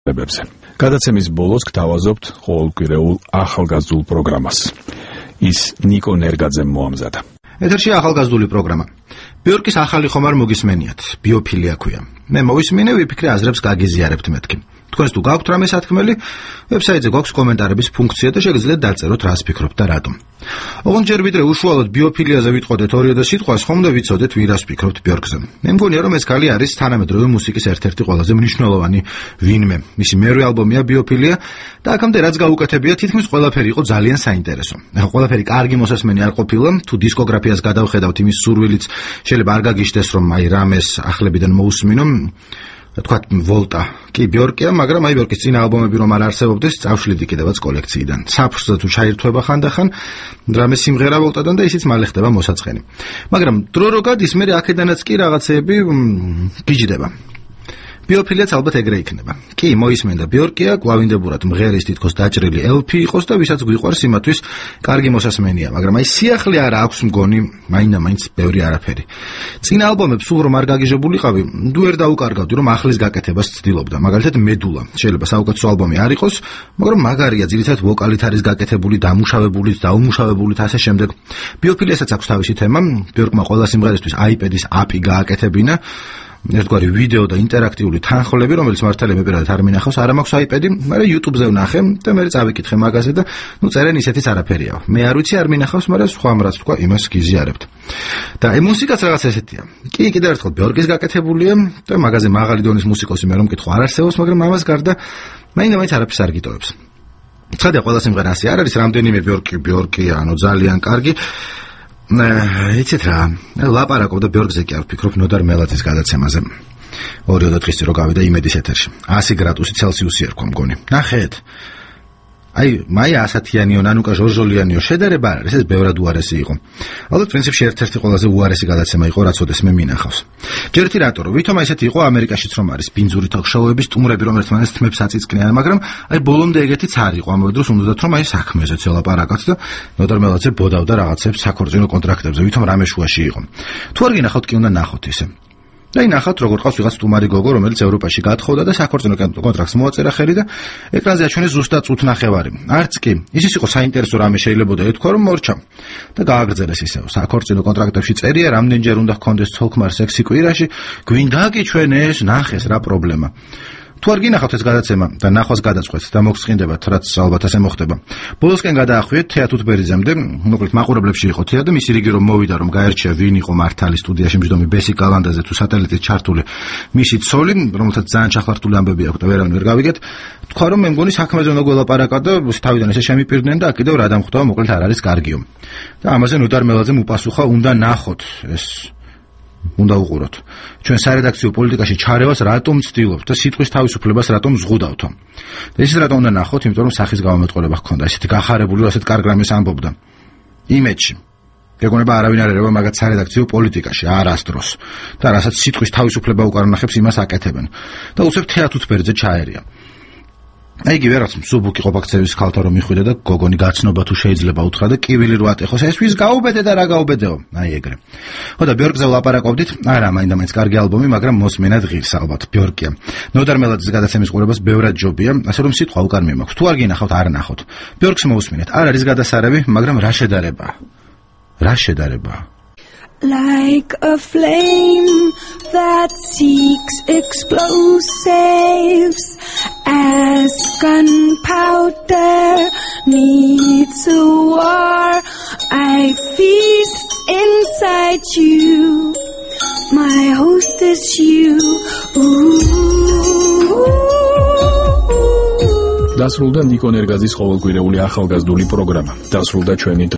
გადაცემის ბოლოს გთავაზობთ ყოველკვირეულ ახალგაზრდულ პროგრამას. ის ნიკო ნერგაძემ მოამზადა. ეთერში ახალგაზრდული პროგრამა. ბიორკის ახალი ხომარ მოგისმენიათ, ბიოფილია ქვია. მე მოვისმინე, ვიფიქრე აზრებს გაგიზიარებთ მეთქი. თქვენს თუ გაქვთ რამე სათქმელი, ვებსაიტზე გვაქვს კომენტარების ფუნქცია და შეგიძლიათ დაწეროთ რას ფიქრობთ და რატომ. ოღონდ ჯერ ვიდრე უშუალოდ ბიოფილიაზე ვიტყოდეთ ორიოდე სიტყვას, ხომ და ვიცოდეთ ვირას ფიქრობთ ბიორკზე. მე მგონია რომ ეს ქალი არის თანამედროვე მუსიკის ერთ-ერთი ყველაზე მნიშვნელოვანი ვინმე. მისი მერვე ალბომია ბიოფილია და აქამდე რაც გაუკეთებია, თითქმის ყველაფერი იყო ძალიან საინტერესო. ყველაფერი კარგი მოსასმენი არ ყოფილა, თუ დისკოგრაფიას გადავხედავთ, იმის სურვილიც შეიძლება არ გაგიშდეს რომ აი რამეს ახლებიდან მოусმინო. თქვა ვოლტა კი ბიორკია, მაგრამ აი ბიორკის წინა ალბომები რომ არ არსებობდეს, წავშლიდი კიდევაც კოლექციიდან. საფრთხე თუ ჩაირთვება ხანდახან რამე სიმღერა ვოლტადან და ისიც მალე ხდება მოსაწყენი. მაგრამ დრო რო გადის, მე აქედანაც კი რაღაცეები გიჯდება. ბიოფილიაც ალბათ ეგრე იქნება. კი, მოისმენდა ბიორკია, გვავინდებურად მღერის თითქოს დაჭრილი LP იყოს და ვისაც გვიყვარს იმათვის კარგი მოსასმენია, მაგრამ აი სიახლე არ აქვს მგონი, მაინდა-მაინც ბევრი არაფერი. წინა ალბომებს სულ რომ არ გაგიჟებულიყავი, ნუ ვერ დაუკარგავდი რომ ახლის გაკეთებას ცდილობდა. მაგალითად მედულა, შეიძლება საუკეთესო ალბომი არ იყოს, მაგრამ მაგარია, ძირითადად ვოკალით არის გაკეთებული, დამუშავებულით, დაუმუშავებულით ასე შემდეგ. ბიოფილიასაც აქვს თავისი თემა, ბიორკმა ყველა სიმღერისთვის iPad-ის API გააკეთებინა. ერთგვარი ვიდეო და ინტერაქტიული თანხლები, რომელიც მართალია მე პირადად არ მინახავს, არ მაქვს iPad-ი, მაგრამ YouTube-ზე ვნახე და მე წავიკითხე მაგაზე და ნუ წერენ ისეთიც არაფერიაო. მე არ ვიცი, არ მინახავს, მაგრამ სხვა რაც თქვა, იმას გიზიარებთ. და მუსიკაც რაღაც ესეთია. კი, კიდევ ერთხელ ბიორკის გაკეთებულია და მაგაზე მაღალი დონის მუსიკოსი მე რომ მკითხო არ არსებობს, მაგრამ ამას გარდა მაინდა-მაინც არაფერს არ გიტოვებს. ცხადია, ყველა სიმღერა ასე არ არის, რამდენიმე ბიორკი, ანუ ძალიან კარგი. იცით რა, ლაპარაკობ და ბიორკზე კი არ ვფიქრობ ნოდარ მელაძის გადაცემაზე. 2 დღის წინ რო გავიდა იმედის ეთერში. 100 გრადუსი ცელსიუსი ერქვა მგონი. ნახეთ. აი, მაია ასათიანიო, ნანუკა ჟორჟოლიანიო შედარება არ არის, ეს ბევრად უარესი იყო. ალბათ პრინციპში ერთ-ერთი ყველაზე უარესი გადაცემა იყო, რაც ოდეს მე მინახავს. ჯერთი რატო, ვითომ ესეთი იყო ამერიკაშიც რომ არის ბინძური თოქ-შოუების სტუმრები, რომ ერთმანეთს თმებს აწიწკნიან, მაგრამ აი ბოლომდე ეგეთიც არ იყო. ამავე დროს უნდათ რომ აი საქმეზე ცელაპარაკაც და ნოდარ მელაძე ბოდავდა რაღაცებს საქორწინო კონტრაქტებზე, ვითომ რამე შუაში იყო. თუ არ გინახავთ, კი უნდა ნახოთ ისე. და ნახავთ როგორ ყავს ვიღაც სტუმარი გოგო, რომელიც ევროპაში გათხოვდა და საქორწინო კონტრაქტს მოაწერა ხელი და ეკრანზე აჩვენეს ზუსტად წუთნახევარი. არც კი, ის იყო საინტერესო რამე შეიძლება ეთქვა რომ მორჩა და გააგრძელეს ისევ. საქორწინო კონტრაქტებში წერია, რამდენჯერ უნდა ჰქონდეს ცოლქმარ სექსი კვირაში, გვინდა გიჩვენეს, ნახეს რა პრობლემა. თუ არ გინახავთ ეს გადაცემა და ნახვას გადაწყვეტთ და მოგსყინდებათ, რაც ალბათ ასე მოხდება. ბოლოსკენ გადაახვიეთ თეა თუთბერიძემდე, მოკლედ მაყურებლებში იყო თეა და მისი რიგი რომ მოვიდა რომ გაერჩია ვინ იყო მართალი სტუდიაში მჯდომი ბესი კალანდაზე თუ სატელიტით ჩართული მისი ცოლი, რომელთაც ძალიან ჩახლართული ამბები აქვს და ვერავინ ვერ გავიგეთ. თქვა რომ მე მგონი საქმეზე უნდა გველაპარაკა და თავიდან ესე შემიპირდნენ და კიდევ რა დამხვდება, მოკლედ არ არის კარგიო. და ამაზე ნოდარ მელაძემ უპასუხა, უნდა ნახოთ ეს უნდა უყუროთ. ჩვენ სარედაქციო პოლიტიკაში ჩარევას რატომ ვცდილობთ და სიტყვის თავისუფლებას რატომ ზღუდავთო. და ისიც რატომ უნდა ნახოთ, იმიტომ რომ სახის გამომეტყველება ჰქონდა, ესეთი გახარებული, ასეთ კარგ რამეს ამბობდა. იმედში. გეგონება არავინ არ ერევა მაგათ სარედაქციო პოლიტიკაში, არასდროს. და რასაც სიტყვის თავისუფლება უკან ნახებს, იმას აკეთებენ. და უცებ თეა თუთბერიძე ჩაერია. აი იგივე რაც მსუბუქი ყოფაქცევის ქალთა რომ მიხვიდა და გოგონი გაცნობა თუ შეიძლება უთხრა და კივილი რო ატეხოს, ეს ვის გაუბედე და რა გაუბედეო. აი ეგრე. ხო და ბიორკზე ვლაპარაკობდით, არა, მაინდა-მაინც კარგი ალბომი, მაგრამ მოსმენად ღირს ალბათ ბიორკია. ნოდარ მელაძის გადაცემის ყურებას ბევრად ჯობია, ასე რომ სიტყვა უკან მიმაქვს. თუ არ გინახავთ, არ ნახოთ. ბიორკს მოусმინეთ. არ არის გადასარევი, მაგრამ რა შედარება? რა შედარება? Like a flame that seeks explosives, as gunpowder needs a war, I feast inside you, my host is you. დასრულდა ნიკო ნერგაძის ყოველკვირეული ახალგაზრდული პროგრამა. დასრულდა ჩვენი